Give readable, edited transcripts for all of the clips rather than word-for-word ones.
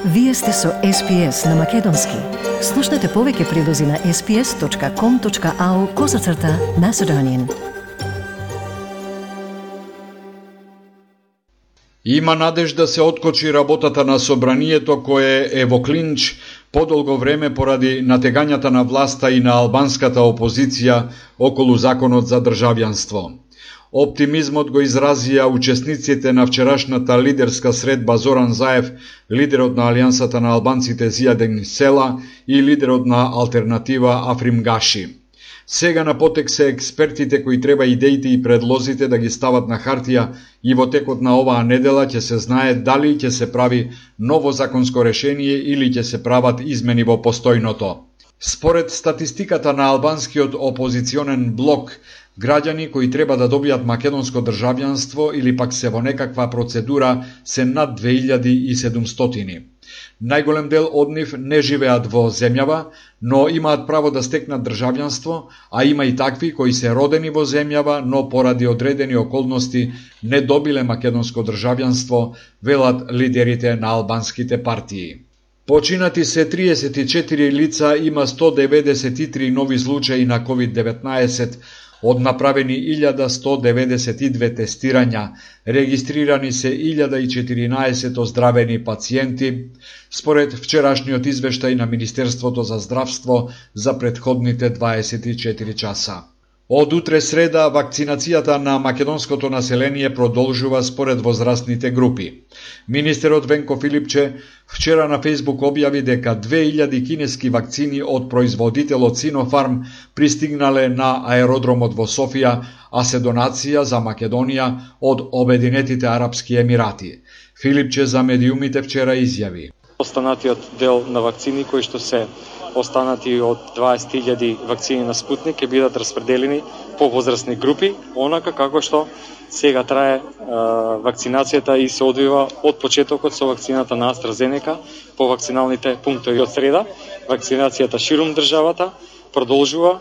Вие сте со SPS на Македонски. Слушнете повеќе прилози на sps.com.au/Macedonian. Има надеж да се откочи работата на собранието кое е во клинч подолго време поради натегањата на власта и на албанската опозиција околу законот за државјанство. Оптимизмот го изразија учесниците на вчерашната лидерска средба Зоран Заев, лидерот на Алијансата на албанците Зијаден Села и лидерот на Алтернатива Африм Гаши. Сега на потек се експертите кои треба идеите и предлозите да ги стават на хартија и во текот на оваа недела ќе се знае дали ќе се прави ново законско решение или ќе се прават измени во постојното. Според статистиката на албанскиот опозиционен блок, граѓани кои треба да добијат македонско државјанство или пак се во некаква процедура се над 2700. Најголем дел од нив не живеат во земјава, но имаат право да стекнат државјанство, а има и такви кои се родени во земјава, но поради одредени околности не добиле македонско државјанство, велат лидерите на албанските партии. Починати се 34 лица, има 193 нови случаи на COVID-19, од направени 1192 тестирања, регистрирани се 1014 оздравени пациенти, според вчерашниот извештај на Министерството за здравство за претходните 24 часа. Од утре среда, вакцинацијата на македонското население продолжува според возрастните групи. Министерот Венко Филипче вчера на Фејсбук објави дека 2000 кинески вакцини од производителот Синофарм пристигнале на аеродромот во Софија, а се донација за Македонија од Обединетите Арапски Емирати. Филипче за медиумите вчера изјави: Останатиот дел на вакцини кои што се останати од 20.000 вакцини на Спутник ќе бидат распределени по возрастни групи, онака како што сега трае вакцинацијата и се одвива од почетокот со вакцината на AstraZeneca по вакциналните пунктови. Од среда вакцинацијата ширум државата продолжува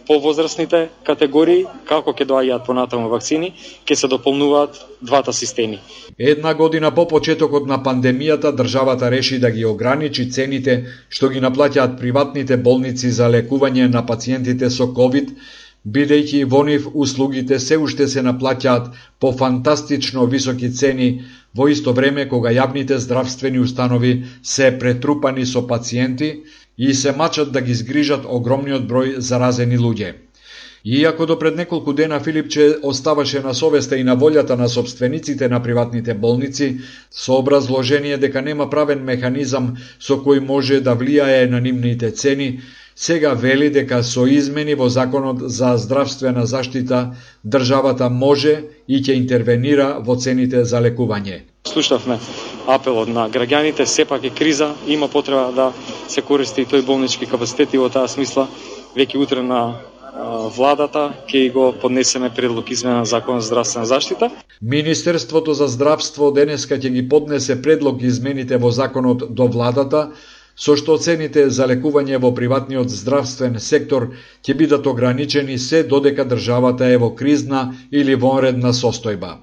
по возрастните категории, како ќе доаѓаат понатаму вакцини, ќе се дополнуваат двата системи. Една година по почетокот на пандемијата, државата реши да ги ограничи цените што ги наплаќаат приватните болници за лекување на пациентите со COVID, бидејќи во нив услугите се уште се наплаќаат по фантастично високи цени, во исто време кога јавните здравствени установи се претрупани со пациенти и се мачат да ги згрижат огромниот број заразени луѓе. Иако до пред неколку дена Филипче оставаше на совеста и на волјата на собствениците на приватните болници, со образложение дека нема правен механизам со кој може да влијае на нивните цени, сега вели дека со измени во Законот за здравствена заштита државата може и ќе интервенира во цените за лекување. Слушавме апелот на граѓаните, сепак е криза, има потреба да се користи и тој болнички капацитет и во таа смисла веќе утре на владата ќе го поднесеме предлог измена на Закон за здравствена заштита. Министерството за здравство денеска ќе ги поднесе предлог измените во законот до владата, со што цените за лекување во приватниот здравствен сектор ќе бидат ограничени се додека државата е во кризна или вонредна состојба.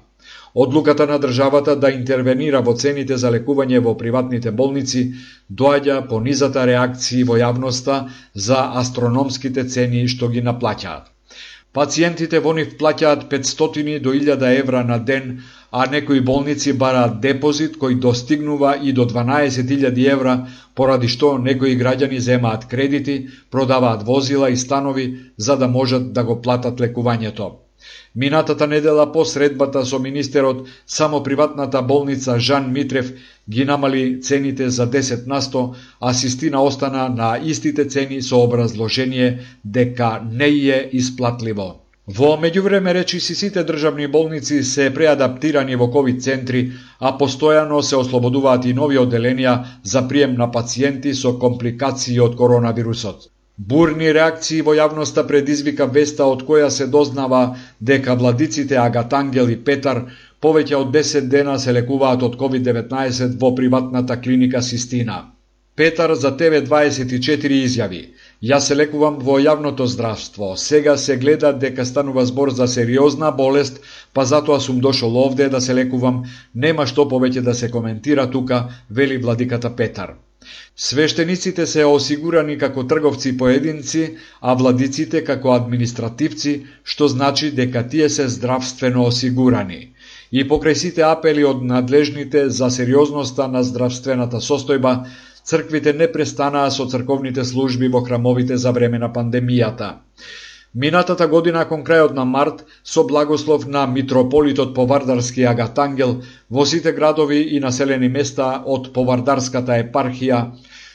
Одлуката на државата да интервенира во цените за лекување во приватните болници доаѓа по низата реакции во јавноста за астрономските цени што ги наплаќаат. Пациентите во нив плаќаат 500 до 1000 евра на ден, а некои болници бараат депозит кој достигнува и до 12.000 евра, поради што некои граѓани земаат кредити, продаваат возила и станови за да можат да го платат лекувањето. Минатата недела по средбата со министерот, само приватната болница Жан Митрев ги намали цените за 10%, а Систина остана на истите цени со образложение дека не е исплатливо. Во меѓувреме речиси сите државни болници се преадаптирани во ковид центри, а постојано се ослободуваат и нови оделенија за прием на пациенти со компликации од коронавирусот. Бурни реакции во јавноста предизвика веста од која се дознава дека владиците Агатангел и Петар повеќе од 10 дена се лекуваат од COVID-19 во приватната клиника Систина. Петар за TV24 изјави: Јас се лекувам во јавното здравство. Сега се гледа дека станува збор за сериозна болест, па затоа сум дошол овде да се лекувам. Нема што повеќе да се коментира тука, вели владиката Петар. Свештениците се осигурани како трговци поединци, а владиците како административци, што значи дека тие се здравствено осигурани. И покрај сите апели од надлежните за сериозноста на здравствената состојба, црквите не престанаа со црковните служби во храмовите за време на пандемијата. Минатата година, кон крајот на март, со благослов на митрополитот Повардарски Агатангел, во сите градови и населени места од Повардарската епархија,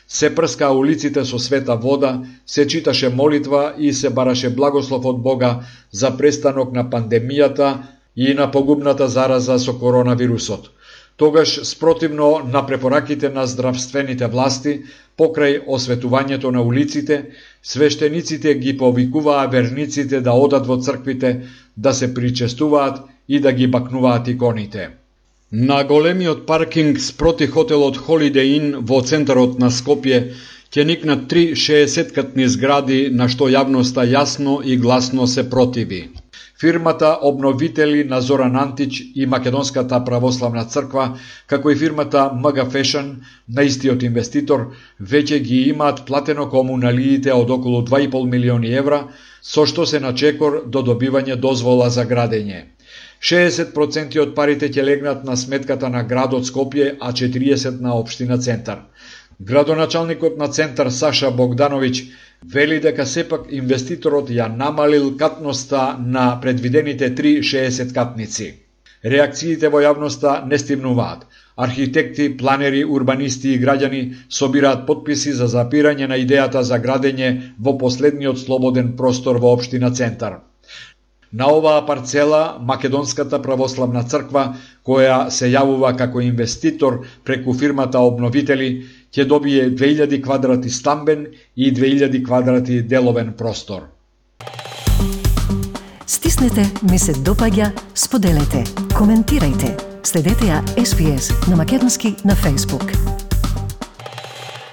се прска улиците со света вода, се читаше молитва и се бараше благослов од Бога за престанок на пандемијата и на погубната зараза со коронавирусот. Тогаш, спротивно на препораките на здравствените власти, покрај осветувањето на улиците, свештениците ги повикуваа верниците да одат во црквите, да се причестуваат и да ги бакнуваат иконите. На големиот паркинг спроти хотелот Holiday Inn во центарот на Скопје ќе никнат 3 60-катни згради, на што јавноста јасно и гласно се противи. Фирмата обновители на Зоран Антич и Македонската православна црква, како и фирмата МГ Fashion на истиот инвеститор, веќе ги имаат платено комуналиите од околу 2,5 милиони евра, со што се на чекор до добивање дозвола за градење. 60% од парите ќе легнат на сметката на градот Скопје, а 40% на општина Центар. Градоначалникот на Центар Саша Богдановиќ вели дека сепак инвеститорот ја намалил катноста на предвидените 3 60-катници. Реакциите во јавноста не стимнуваат. Архитекти, планери, урбанисти и граѓани собираат потписи за запирање на идејата за градење во последниот слободен простор во општина Центар. На оваа парцела Македонската православна црква, која се јавува како инвеститор преку фирмата Обновители, ќе добие 2000 квадрати стамбен и 2000 квадрати деловен простор. Стиснете, ми се допаѓа, споделете, коментирајте. Следете ја SPS на Македонски на Facebook.